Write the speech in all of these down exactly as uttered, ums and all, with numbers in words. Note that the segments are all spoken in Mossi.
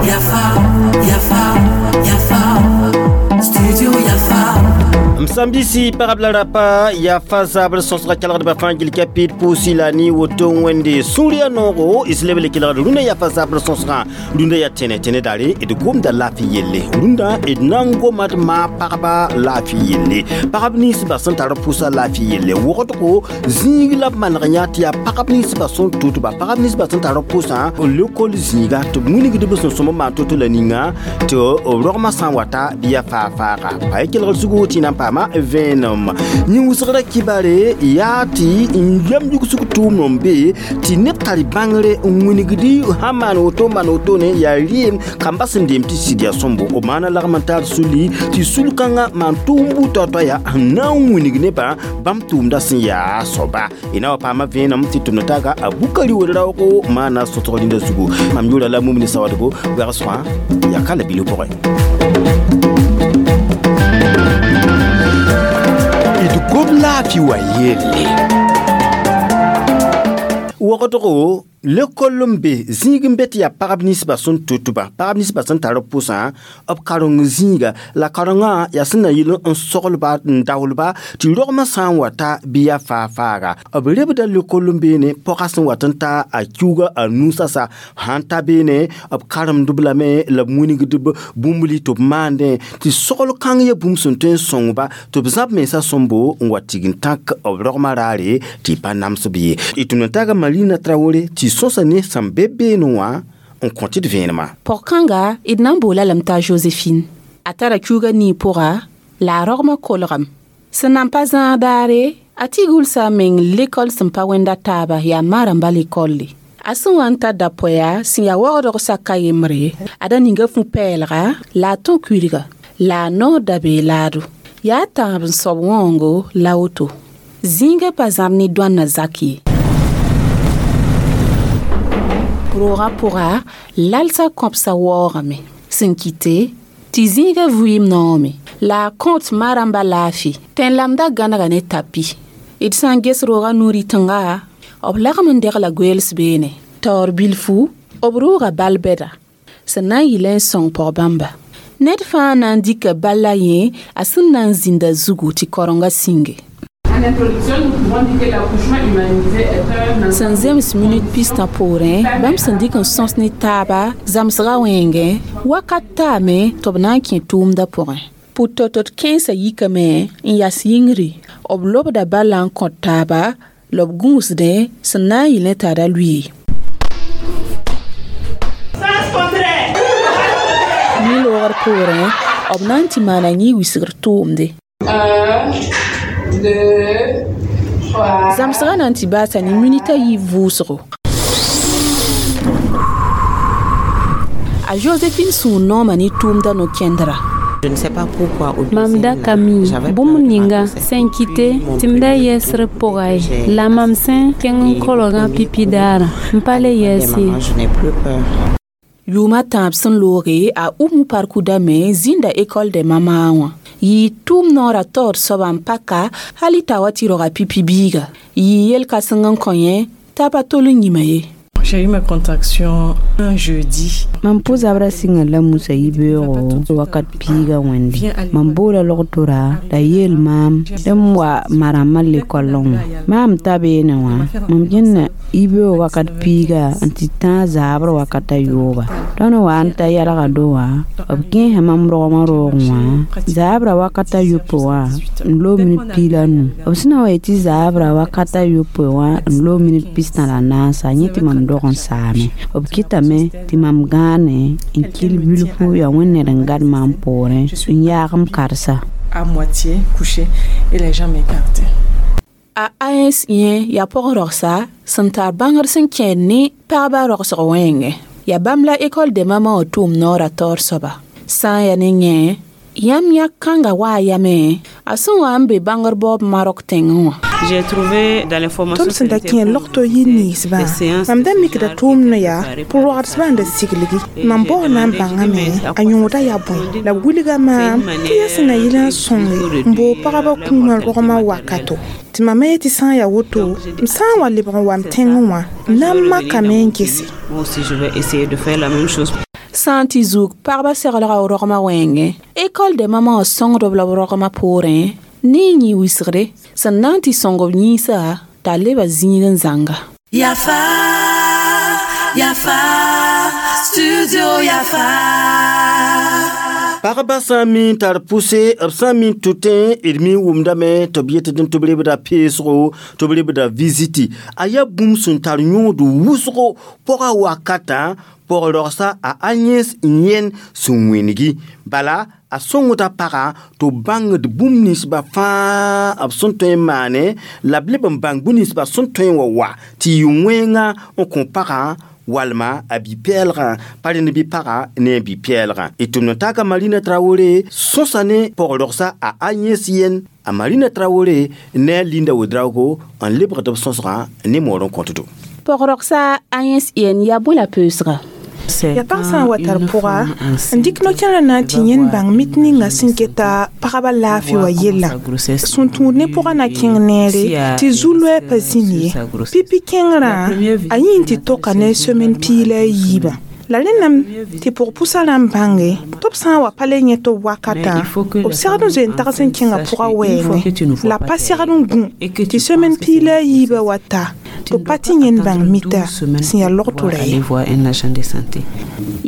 Yafa, Yafa, Yafa, Studio Yafa. Msambisi pagb la rapa yaa fa zabr sõsga kelgdbã fãa gil ka pid pʋʋsi la ne woto wẽnde sũur yaa noogo d leb le kelgd rũndã yaa fa zabr sõsgã rũndã yaa tẽne tẽne daare d gomda laafɩ yelle rũndã d na n goma d maa pagba laafɩ yelle pagb ninsbã sẽn tar pʋʋsa laafɩ yelle wogdgo zĩig la b maneg yã tɩ yaa pagb ninsbã sẽn tʋtba pagb ninsbã sẽn tar pʋʋsã lekol zĩiga tɩ b wilgd b sẽn sõm n maan to-to la ninga tɩ b rogmã sã n wata bɩ yaa faa-faaga pa kelgd zugu tɩ na n paama vẽenem yĩn wʋsgra kibare yaa tɩ n yam yugsg tʋʋmd n be tɩ neb tar bãngre n wilgdi sãn maan woto n maan wotone yaa rɩɩem kamba sẽn deem tɩ sɩd yaa sõmbo b maana lagm n tar suli tɩ sul-kãngã maan tʋʋm buud taoor yaa sẽn na n wilg nebã bãmb tʋʋmdã sẽn yaa soaba y na wa paama vẽenem tɩ tʋmd taaga a bukari wel-raoogo maana sõsg rĩndã zugu mam yʋʋra la mumni sawadgo wɛgsgã yaa ka la bilf pʋgẽ d gom laafɩ wa yelle wogdgo lekol n be zĩig n be tɩ yaa pagb ninsbã sẽn tʋtba pagb ninsbã sẽn tar b pʋsã b kareng zĩiga la karengã yaa sẽn na yɩl n soglba n daoolba tɩ rogmã sã n wata bɩ yaa faa-faaga b rebda lekol n beene pɔga sẽn wat n ta a kiuga a nu sasa sãn ta beene b karemdb lame la b wilgdb bũmb li tɩ b maandẽ tɩ sogl kãng ya bũmb sẽn tõe n sõngba tɩ b zãb mensã sõmbo n wa tig n tãk b rogmã raare tɩ pa namsb ye d tʋm n taaga Marina Traoré tɩ sõsa ne sẽn be beene wã n kõ tɩ d vẽenemã Pɔg-kãnga d na n boola lame t'a Josephine a tara kiuga nii pʋga la a rogmã kolgame sẽn nan pa zãag daare a tɩ gʋlsa a meng lekol sẽn pa wẽnda taaba yaa maarãmbã lekolle a sẽn wa n ta da-poɛa sẽn yaa waoodg saka yembre a da ninga fu-pɛɛlga la a tõ kuilga la a noor da bee laado yaa tãab n soab wãoongo la woto zĩigã pa zãb ne dõanna zak ye roogã pʋga lalsã kõbsa waoogame sẽn kɩte tɩ zĩigã vɩɩm noome la a kõt ma-rãmbã laafɩ tẽn-lamda gãnega ne tapi d sã n ges roogã nu-rɩtengã b lagm n degla goeels beene taoor bilfu b rʋʋga bal-bɛda sẽn na n yɩlẽ n sõng pɔg-bãmba ned fãa na n dɩka bal a yẽ a sẽn na n zĩnda zugu tɩ karenga sĩnge sẽn zems minut pistã poorẽ bãmb sẽn dɩk n sõs ne taaba zãmsgã wẽngẽ wakat taame tɩ b na n kẽ tʋʋmdã pʋgẽ pʋ-tot-t kẽensã yikame n yas yĩngri b lobda bala n kõt taaba la b gũusdẽ sẽn na n yɩlẽ t'a ra lʋɩ mi-loogr poorẽ b na n tɩ maana yĩ wisgr tʋʋmde zãmsgã na n tɩ baasa ne minit a yiib vʋʋsgo a Josephine sũur nooma ne tʋʋmdã no-kẽndra Mam da ka mi bũmb ninga sẽn kɩte tɩ m da yɛsr pʋga ye la mam sẽn kẽng n kolgã pipi daarã n pa le yɛɛs ye yʋʋma tãab sẽn looge a Umu parkudame zĩnda école de mama wã yɩɩ tʋʋm noorã taoor soaba n paka hal y t'a wa tɩ roga pipi biiga yɩɩ yel-kãseng n kõ yẽ t'a pa tol n yĩma ye J'ai eu ma contraction un jeudi. Mam pʋ-zabrã sɩnga la musa yibeoogo wakat piiga wẽnde mam boola logtora la yeel maam tɩ m wa ma-rãmbã lekollẽ wã maam ta beene wã mam kẽnda yibeoog wakat piiga n tɩ tãag zaabr wakat a yooba tõnd wa n ta yɛlga do wã b kẽesa mam rogmã roogẽ wã zaabrã wakat a yopoe wã n loog minit piig la nu b sẽn na wa yetɩ zaabrã wakat a yopoe wã n loog minit pistã la naasa yẽ tɩ mam dog n saame b kɩtame tɩ mam gãane n kɩl bilfu yaa wẽnd ned n gad maam poorẽ n yaag m karsa À moitié couché et les jambes écartées. A AS yẽ yaa pɔg-rogsa sẽn tar bãngr sẽn kẽed ne pagba rogsg wẽngẽ yaa bãmb la école de mama wã tʋʋm noorã taoor soaba sã n yaa ne yẽ Yãmb yãk kãnga waa yame a sẽn wa n be bãngr baoob Marok tẽngẽ wã. J'ai trouvé dans l'information Tõnd sẽn da kẽ logto yir ninsbã mam da mikda tʋʋmdã yaa pʋ-roagsbã n da siglgi mam baoog na n bãngame a yõoda yaa bõe la b wilga maam tɩ yaa sẽn na yɩl n sõnge n boog pagba kũumã rogmã wakato tɩ mam yetɩ sã n yaa woto m sã n wa lebg n wa m tẽngẽ wã m na n makame n gese. Moi aussi je vais essayer de faire la même chose. Sã n tɩ zug pagba seglga rogmã wẽngẽ école de mama wã sõngdb la b rogmã poorẽ ne n yĩ wisgre sẽn na n tɩ sõng b yĩnsa t'a leba zĩig n zãnga. Yafa, Yafa, Studio Yafa. Pagba sã n mi n tar pʋse b sã n mi n tʋtẽ d mi n wʋmdame tɩ b yetɩ tɩ b rebda peesgo tɩ b rebda visiti a yaa bũmb sẽn tar yõod wʋsgo pʋga wakatã pʋg-rogsa a Agnès n yẽn sẽn wĩngi bala a sõngda pagã tɩ b bãngd bũmb ninsbã fãa b sẽn tõe n maane la b leb n bãng bũmb ninsbã sẽn tõe n wa wa tɩ yɩ wẽnga n kõ pagã walma a bi-pɛɛlgã pa rẽnd bɩ pagã ne a bi-pɛɛlgã d tʋmd n taaka Marina Traoré sõsa ne pʋg-rogsa a Agnès yen a Marina Traoré ne a Linda Ouedraogo n lebgd b sõsgã ne moor n kõtdo. Pʋg-rogsa Agnès yen yaa bõe la peusga? Yaa pag sã n wa tar pʋga n dɩk no-kẽerã na n tɩ yẽnd bãng mit ninga sẽn keta pagba laafɩ wã yellã sẽn tũud ne pʋgã na kẽng neere tɩ zu-loɛɛ pa zĩnd ye pipi kẽngrã a yĩn tɩ toka ne semaine piig la a yiibã la rẽndame tɩ pʋg-pʋsã rãmb bãnge tɩ b sã n wa pa le yẽ tɩ b wakatã b segd n zoe n tags n kẽngã pʋgã wɛɛngẽ la pa segd n gũ tɩ semaine piig la a yiibã wa ta tɩ b pa tɩ yẽnd bãng mita sẽn yaa logtorã ye.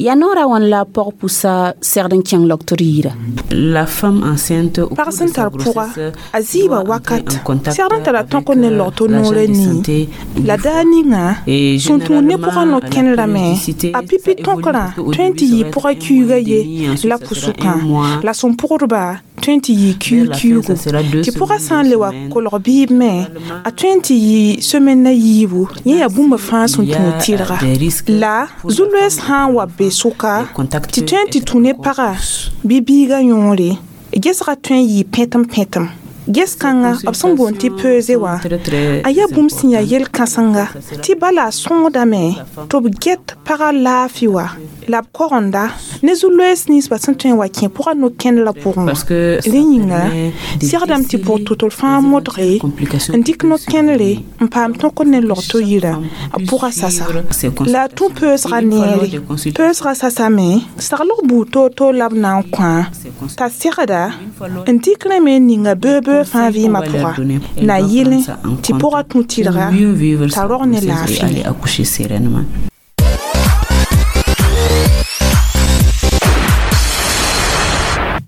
Yaa noorã wãn la pɔg-pʋsa segd n kẽng logtr yirã. La femme enceinte Pag sẽn tar pʋga a zɩɩba wakat segd n tara tõk ne logto noorã nii la daar ninga sẽn tũud ne pʋgã no-kẽnerame a pipi tõkrã tõe n tɩ yɩ pʋgã kiuugã ye la pʋsʋkã la sẽn pʋgdba tõe n tɩ yɩ kiug-kiuugu tɩ pʋgã sã n le wa kolg biib me a tõe n tɩ yɩ semaine a yiibu yẽ yaa bũmb fãa sẽn tũud tɩrga la zu-loees sã n wa be sʋka tɩ tõe n tɩ tũ ne pagã bɩ biigã yõore gesgã tõe n yɩ pẽtem pẽtem ges kãnga b sẽn boond tɩ peuse wã a yaa bũmb sẽn yaa yel-kãsenga tɩ bala a sõngdame tɩ b get pagã laafɩ wã la b kogenda ne zu-loees ninsbã sẽn tõe n wa kẽ pʋgã no-kẽnerã pʋgẽ wã rẽ yĩnga segdame tɩ pʋg tʋtr fãa modge n dɩk no-kẽnere n paam tõkr ne logto yirã b pʋgã sasa la a tũ peusgã neere peusgã sasame saglg buud toor-toor la b na n kõ t'a segda n dɩk rẽ me n ninga beoog-beoog fãa vɩɩmã pʋga na yɩlẽ tɩ pʋgã tũ tɩrga t'a rog ne laafɩ.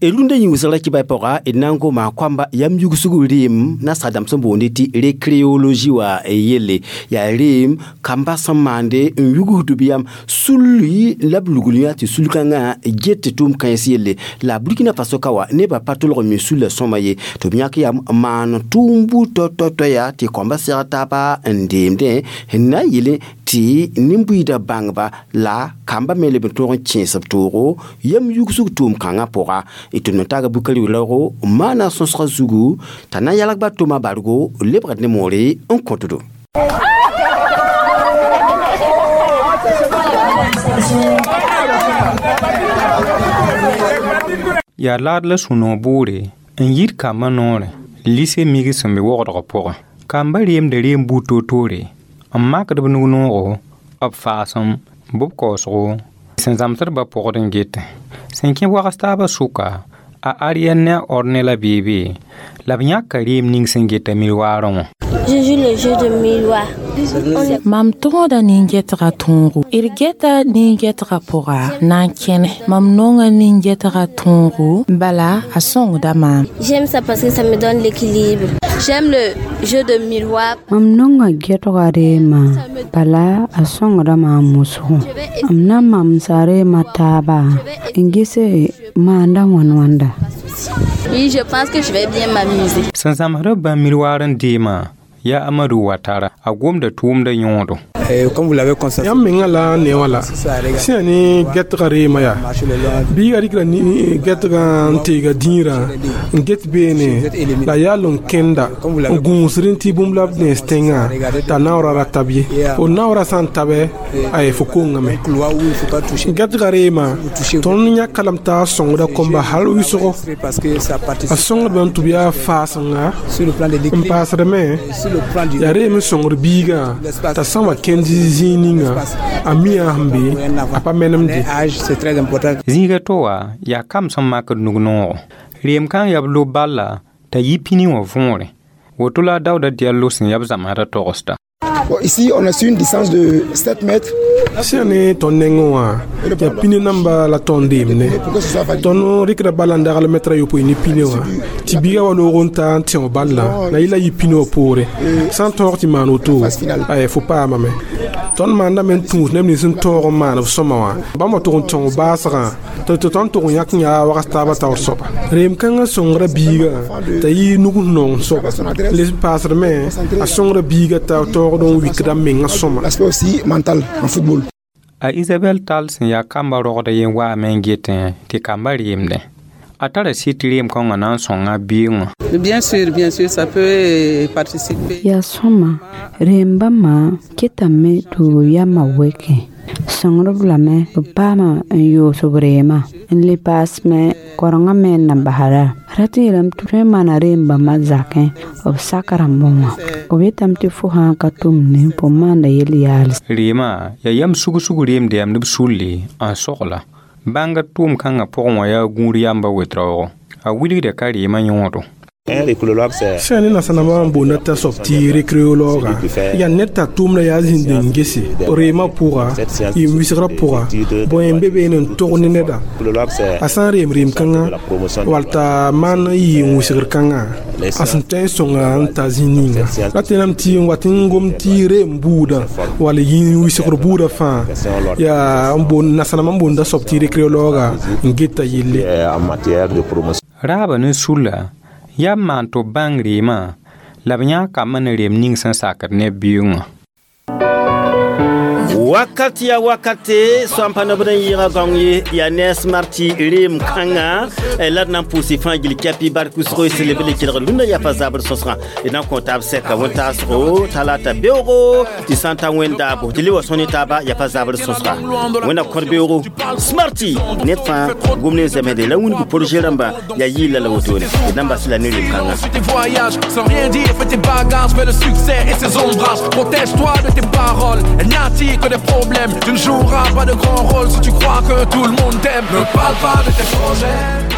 Rũndã yĩng wʋsg ra kɩba pʋga d na n goma koamba yam yugsg reem nasaadãmb sẽn boonde tɩ récréologie wã yelle yaa reem kamba sẽn maande n yugsd b yam sulli la b lugl yã tɩ sul-kãngã get tɩ tʋʋm kãens yelle la Burkina Faso ka wa nebã pa tʋlg n mi sulla sõma ye tɩ b yãk yam n maan tʋʋm buud tɔ-tɔ-tɔ yaa tɩ koamba segd taaba n deemdẽ n na n yele tɩ nin-buiidã bãngba la kamba me leb n tõog n kẽes b toogo yam yugsg tʋʋm kãngã pʋga tɩ n taaga Bukari raoogo n maana sõsgã zugu t'a na n yalgba tʋma bargo lebgd ne moore n kõtdo. Yaa laad la sũ-noog boore n yit kambã noorẽ lise mig sẽn be wogdgã pʋgẽ kambã reemda reem buud toor-toore n makd b nug-noogo b faasem bɩ b kaoosgo sẽn zãmsdbã pʋgd n getẽ sẽn kẽ wags taabã sʋka a Ariane ne a Orne la beebe la b yãka reem ning sẽn geta miroirẽ wã. Je joue le jeu de miroir. Mam tõoda nin-getgã tõogo d geta nin-getgã pʋga na n kẽne mam nonga nin-getgã tõogo bala a sõngda maam. J'aime ça parce que ça me donne l'équilibre. J'aime le jeu de miroir. Mam nonga getgã reema bala a sõngda maam wʋsgo m na n mamsa reemã taaba n gese maanda wãn-wãnda. Oui, je pense que je vais bien m'amuser. Sẽn zãmsd b bãmb miroir n deemã Yaa Amadu Watara a gomda tʋʋmda yõodo. Yãmb menga la ne wã la sẽn yaa ne gɛtga reema yaa biiga rɩkra gɛtgã n teega dĩirã n get beene la yaa n kẽnda n gũusd n tɩ bũmb la b nens tẽngã t'a naoora ra tab ye fo naoora sã n tabe ay fo kongame gɛtga reema tõnd yãka lame t'a sõngda kõmba hal wʋsgo a sõngdbame tɩ b yaa faasenga n paasdame yaa reem n sõngd biigã t'a sã n wa kẽnd zĩig ninga a mi a sẽn be a pa menemde. Zĩiga to wã yaa kam sẽn makd nug-noogo reem kãng yaa b lob balla t'a yi pini wã võore woto la a Daouda Diallo sẽn yaa b zãmsdã togsda. Bon, ici, on a su une distance de sept mètres. Sẽn ne tõnd nengẽ wã yaa pine namba la tõnd deemne tõnd rɩkda bala n dagl mɛtra yopoe ne pine wã tɩ biiga wa loog n ta n tẽo balla la yɩla yɩ pine wã poore sã n tõog tɩ maan woto ay fo paamame tõnd maandame n tũus neb nins n tõog n maan b sõma wã bãmb wa tʋg n tõng baasgã tɩ tõnd tʋg n yãk n yaa wagas taabã taoor soaba reem kãngã sõngra biigã t'a yɩ nug nong soaba les paasdme a sõngra biigã t'a taoogd n wikda mengã sõma. L'aspect aussi mental en football. A Isabel Tal sẽn yaa kamba rogda yen waame n getẽ tɩ kamba reemdẽ a tara sɩd tɩ reem kãngã na n sõnga biig wã. Bien sûr, bien sûr, ça peut participer. Yaa sõma reem bãmba ketame tɩ b yamã wɛkẽ sõngdb lame b paama n yoos b reemã n le paasme korengã me n na basda rat n yeelame tɩ tõe n maana reem bãmbã zakẽ b sak rãmbẽ wã b yetame tɩ fo sã n ka tʋmne fo maanda yel-yaals. Reemã yaa yam sug-sug reemda yam ne b sulle n sogla bãngr tʋʋm kãngã pʋgẽ wã yaa gũud yamba wet-raoogo a wilgda ka reemã yõodo. Sẽn ne nansãnambã n boonda t'a soab tɩ récréologa yaa ned t'a tʋʋmda yaa zĩnd n gese reemã pʋga yɩ wisgrã pʋga bõe n be beene n tog ne neda a sã n reem reem kãngã wall t'a maan n yɩ n wisgr kãngã a sẽn tõe n sõnga n ta zĩig ninga la tẽname tɩ n wat n gom tɩ reem buudã wall yĩ wisgr buudã fãa yaa n boond nansãnambã n boonda soab tɩ récréologa n geta yelle. Raaba ne sulla yaa n maan tɩ b bãng reemã la b yãag kambã ne reem ning sẽn sakd ne b bioongã. Wakat ya wakate soam pa nobd n yɩɩga gãong ye yaa ne a Smarty reem kãngã la d na n pʋʋs fãa gil kɛpɩ bark wʋsgo sẽn leb le kelgd rũndã yaa pa zabr sõsgã d na n kõ taab sɛka wẽn-taasgo talata beoogo tɩ sã n ta wẽn-daabo tɩ le wa sõn ne taaba yaa pa zabr sõsga wẽnna kõr beoogo Smarty ned fãa gom ne n zemsde la wĩndg projet rãmba yaa yɩɩla la wotone d na n bas la ne reem kãngã. Tes voyages, sans rien dire, fais tes bagages, fais le succès et ses ombrages. Protège-toi de tes paroles, elles n'attirent que des problèmes. Tu ne joueras pas de grand rôle si tu crois que tout le monde t'aime. Ne parle pas de tes projets.